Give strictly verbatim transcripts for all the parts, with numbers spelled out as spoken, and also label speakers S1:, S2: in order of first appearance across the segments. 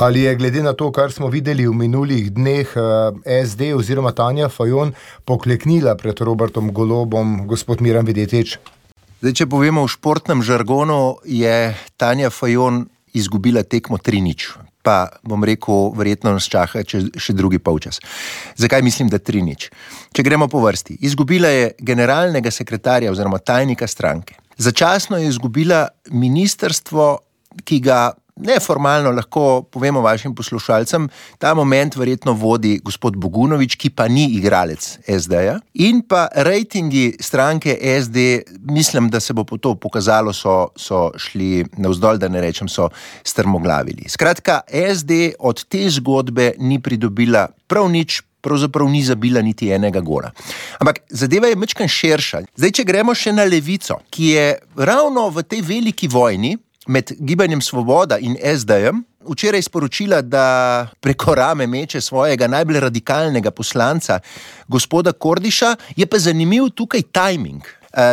S1: Ali je glede na to, kar smo videli v minulih dneh, es de oziroma Tanja Fajon pokleknila pred Robertom Golobom, gospod Miran Videtič?
S2: Zdaj, če povemo v športnem žargonu, je Tanja Fajon izgubila tekmo tri nič. Pa bom rekel, verjetno nas čaka še drugi polčas. Zakaj mislim, da tri nič? Če gremo po vrsti. Izgubila je generalnega sekretarja oziroma tajnika stranke. Začasno je izgubila ministrstvo, ki ga neformalno lahko povemo vašim poslušalcem, ta moment verjetno vodi gospod Bogunović, ki pa ni igralec es deja. In pa rejtingi stranke es de, mislim, da se bo po to pokazalo, so, so šli navzdol, da ne rečem, so strmoglavili. Skratka, es de od te zgodbe ni pridobila prav nič, pravzaprav ni zabila niti enega gola. Ampak zadeva je majčkeno širša. Zdaj, če gremo še na Levico, ki je ravno v tej veliki vojni med Gibanjem Svoboda in es dejem včeraj sporočila, da preko rame meče svojega najbolj radikalnega poslanca, gospoda Kordiša, je pa zanimiv tukaj tajming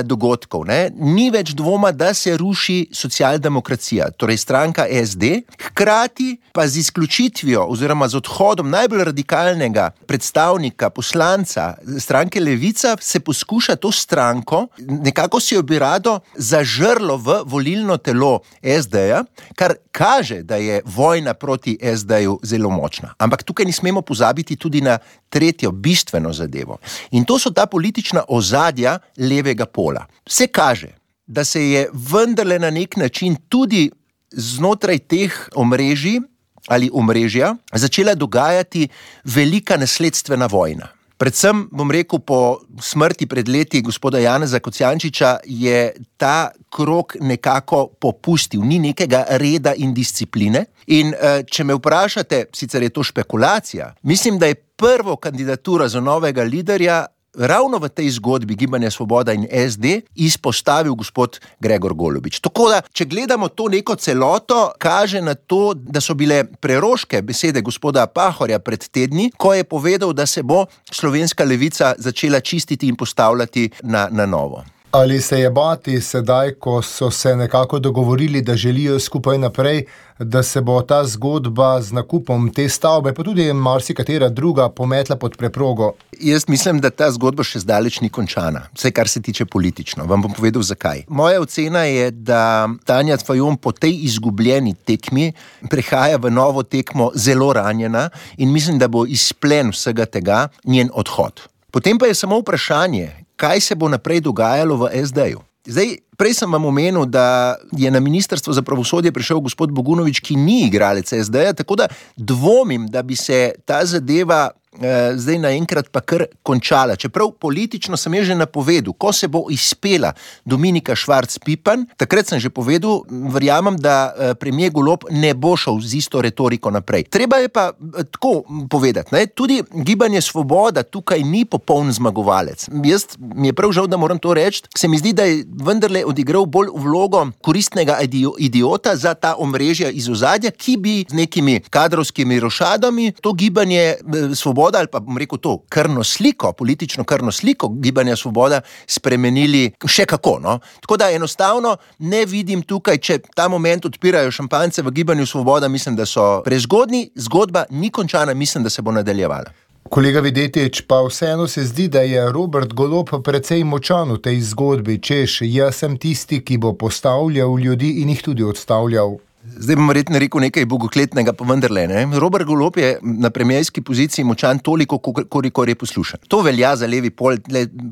S2: dogodkov. Ne? Ni več dvoma, da se ruši socialdemokracija, torej stranka es de, hkrati pa z izključitvijo oziroma z odhodom najbolj radikalnega predstavnika, poslanca stranke Levica se poskuša to stranko, nekako si jo bi rado zažrlo v volilno telo es deja, kar kaže, da je vojna proti es deju zelo močna. Ampak tukaj ne smemo pozabiti tudi na tretjo bistveno zadevo. In to so ta politična ozadja levega pola. Vse kaže, da se je vendarle na nek način tudi znotraj teh omrežij ali omrežja začela dogajati velika nasledstvena vojna. Predvsem, bom rekel, po smrti pred leti gospoda Janeza Kocjančiča je ta krog nekako popustil, ni nekega reda in discipline. In če me vprašate, sicer je to špekulacija, mislim, da je prvo kandidaturo za novega liderja ravno v tej zgodbi Gibanja Svoboda in es de izpostavil gospod Gregor Golobič. Tako da, če gledamo to neko celoto, kaže na to, da so bile preroške besede gospoda Pahorja pred tedni, ko je povedal, da se bo slovenska levica začela čistiti in postavljati na, na novo.
S1: Ali se je bati sedaj, ko so se nekako dogovorili, da želijo skupaj naprej, da se bo ta zgodba z nakupom te stavbe, pa tudi marsikatera druga, pometla pod preprogo?
S2: Jaz mislim, da ta zgodba še zdaleč ni končana, vse kar se tiče politično. Vam bom povedal, zakaj. Moja ocena je, da Tanja Fajon po tej izgubljeni tekmi prehaja v novo tekmo zelo ranjena in mislim, da bo izplen vsega tega njen odhod. Potem pa je samo vprašanje, kaj se bo naprej dogajalo v es deju. Zdaj, prej sem vam omenil, da je na Ministrstvo za pravosodje prišel gospod Bogunović, ki ni igralec es deja, tako da dvomim, da bi se ta zadeva eh, zdaj naenkrat pa kar končala. Čeprav politično sem je že napovedal, ko se bo izpela Dominika Švarc Pipan, takrat sem že povedal, verjamem, da eh, premier Golob ne bo šel z isto retoriko naprej. Treba je pa eh, tako povedati, ne? Tudi Gibanje Svoboda tukaj ni popoln zmagovalec. Jaz mi je prav žal, da moram to reči, se mi zdi, da je vendarle odigral bolj vlogo koristnega idiota za ta omrežja iz ozadja, ki bi z nekimi kadrovskimi rošadami to Gibanje Svoboda ali pa bom rekel to krvno sliko, politično krvno sliko Gibanja Svoboda spremenili še kako, no? Tako da enostavno ne vidim tukaj, če ta moment odpirajo šampance v Gibanju Svoboda, mislim, da so prezgodnji, zgodba ni končana, mislim, da se bo nadaljevala.
S1: Kolega Videtič, pa vseeno se zdi, da je Robert Golob precej močan v tej zgodbi, češ, jaz sem tisti, ki bo postavljal ljudi in jih tudi odstavljal.
S2: Zdaj bom verjetno rekel nekaj bogokletnega, pa vendarle, ne. Robert Golob je na premierski poziciji močan toliko, kolikor je poslušan. To velja za levi pol,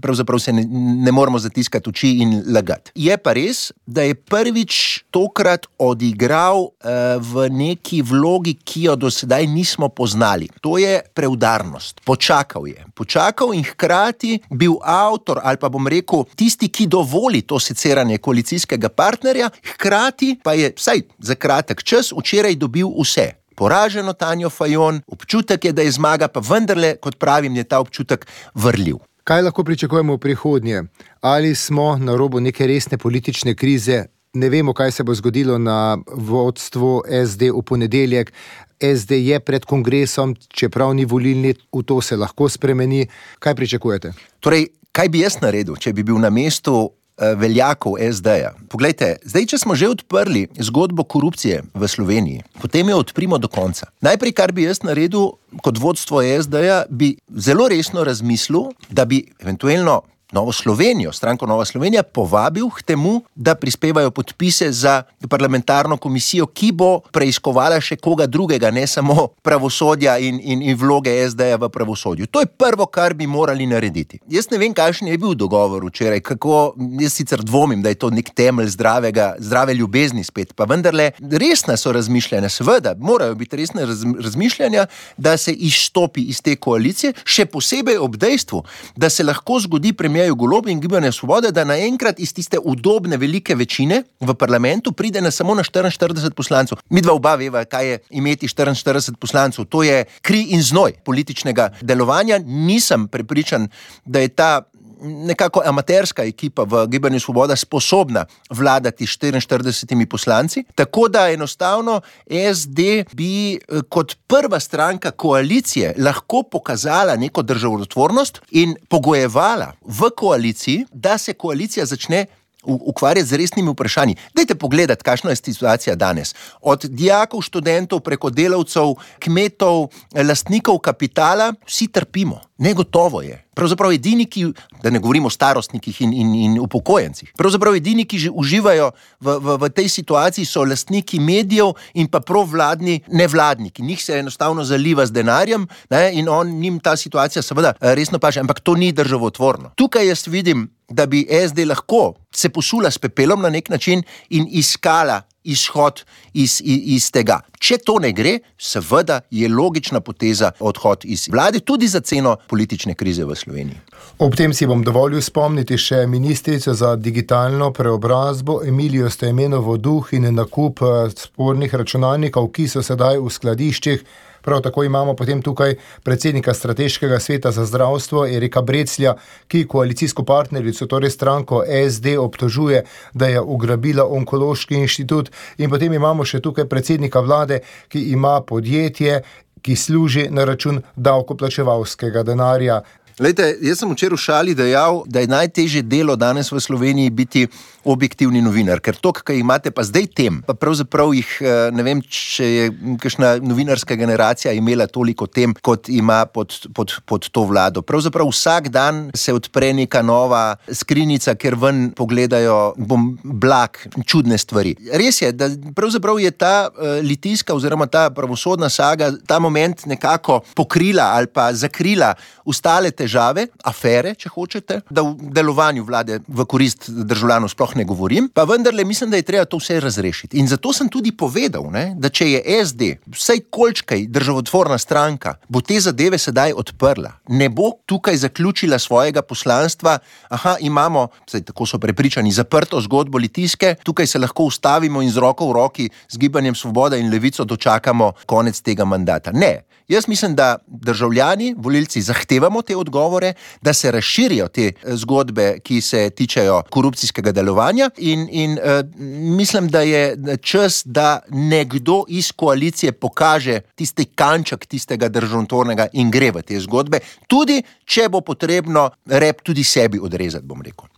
S2: pravzaprav se ne, ne moramo zatiskati oči in lagati. Je pa res, da je prvič tokrat odigral uh, v neki vlogi, ki jo do sedaj nismo poznali. To je preudarnost. Počakal je. Počakal in hkrati bil avtor, ali pa bom rekel, tisti, ki dovoli to seciranje koalicijskega partnerja, hkrati pa je, vsaj za kratek čas, včeraj dobil vse. Poraženo Tanjo Fajon, občutek je, da je zmaga, pa vendarle, kot pravim, je ta občutek vrljiv.
S1: Kaj lahko pričakujemo v prihodnje? Ali smo na robu neke resne politične krize? Ne vemo, kaj se bo zgodilo na vodstvu es de v ponedeljek. es de je pred kongresom, čeprav ni volilni, v to se lahko spremeni. Kaj pričakujete?
S2: Torej, kaj bi jaz naredil, če bi bil na mestu veljakov es deja. Poglejte, zdaj, če smo že odprli zgodbo korupcije v Sloveniji, potem jo odprimo do konca. Najprej, kar bi jaz naredil kot vodstvo es deja, bi zelo resno razmislil, da bi eventualno Novo Slovenijo, stranko Nova Slovenija, povabil k temu, da prispevajo podpise za parlamentarno komisijo, ki bo preiskovala še koga drugega, ne samo pravosodja in, in, in vloge es deja v pravosodju. To je prvo, kar bi morali narediti. Jaz ne vem, kakšen je bil dogovor včeraj, kako, jaz sicer dvomim, da je to nek temelj zdravega, zdrave ljubezni spet, pa vendarle resna so razmišljanja, seveda, morajo biti resne raz, razmišljanja, da se izstopi iz te koalicije, še posebej ob dejstvu, da se lahko zgodi premijer Golobu in Gibanje Svobode, da naenkrat iz tiste udobne velike večine v parlamentu pride na samo na štiriinštirideset poslancev. Mi dva oba veva, kaj je imeti štiriinštirideset poslancev. To je kri in znoj političnega delovanja. Nisem prepričan, da je ta nekako amaterska ekipa v Gibanju Svoboda sposobna vladati štiriinštiridesetimi poslanci, tako da enostavno es de bi kot prva stranka koalicije lahko pokazala neko državotvornost in pogojevala v koaliciji, da se koalicija začne ukvarjati z resnimi vprašanji. Dajte pogledati, kakšna je situacija danes. Od dijakov, študentov, preko delavcev, kmetov, lastnikov kapitala, vsi trpimo. Negotovo je. Pravzaprav edini, ki, da ne govorimo o starostnikih in, in, in upokojencih, pravzaprav edini, ki že uživajo v, v, v tej situaciji, so lastniki medijev in pa provladni nevladniki. Njih se enostavno zaliva z denarjem, ne, in on, njim ta situacija seveda resno paše, ampak to ni državotvorno. Tukaj jaz vidim, da bi es de lahko se posula s pepelom na nek način in iskala izhod iz, iz, iz tega. Če to ne gre, seveda je logična poteza odhod iz vlade, tudi za ceno politične krize v Sloveniji.
S1: Ob tem si bom dovolil spomniti še ministrico za digitalno preobrazbo Emilijo Stojmenovo Duh in nakup spornih računalnikov, ki so sedaj v skladiščih. Prav tako imamo potem tukaj predsednika Strateškega sveta za zdravstvo Erika Breclja, ki koalicijsko partnerico, torej stranko es de, obtožuje, da je ugrabila Onkološki inštitut. In potem imamo še tukaj predsednika vlade, ki ima podjetje, ki služi na račun davkoplačevalskega denarja.
S2: Lejte, jaz sem včeraj v šali dejal, da je najtežje delo danes v Sloveniji biti objektivni novinar, ker to, kaj imate pa zdaj tem, pa pravzaprav jih, ne vem, če je kakšna novinarska generacija imela toliko tem, kot ima pod, pod, pod to vlado. Pravzaprav vsak dan se odpre neka nova skrinjica, ker ven pogledajo bom blag, čudne stvari. Res je, da pravzaprav je ta uh, litijska oziroma ta pravosodna saga ta moment nekako pokrila ali pa zakrila ostale težave, afere, če hočete, da v delovanju vlade v korist državljanov sploh ne govorim, pa vendarle mislim, da je treba to vse razrešiti. In zato sem tudi povedal, ne, da če je es de, vsaj kolčkaj državotvorna stranka, bo te zadeve sedaj odprla. Ne bo tukaj zaključila svojega poslanstva, aha, imamo, saj tako so prepričani, zaprto zgodbo litijske, tukaj se lahko ustavimo in z roko v roki z Gibanjem Svoboda in Levico dočakamo konec tega mandata. Ne. Jaz mislim, da državljani, volilci zahtevamo te odgovore, da se razširijo te zgodbe, ki se tičejo korupcijskega delovanja in, in uh, mislim, da je čas, da nekdo iz koalicije pokaže tisti kanček tistega državotvornega in gre v te zgodbe, tudi če bo potrebno rep tudi sebi odrezati, bom rekel.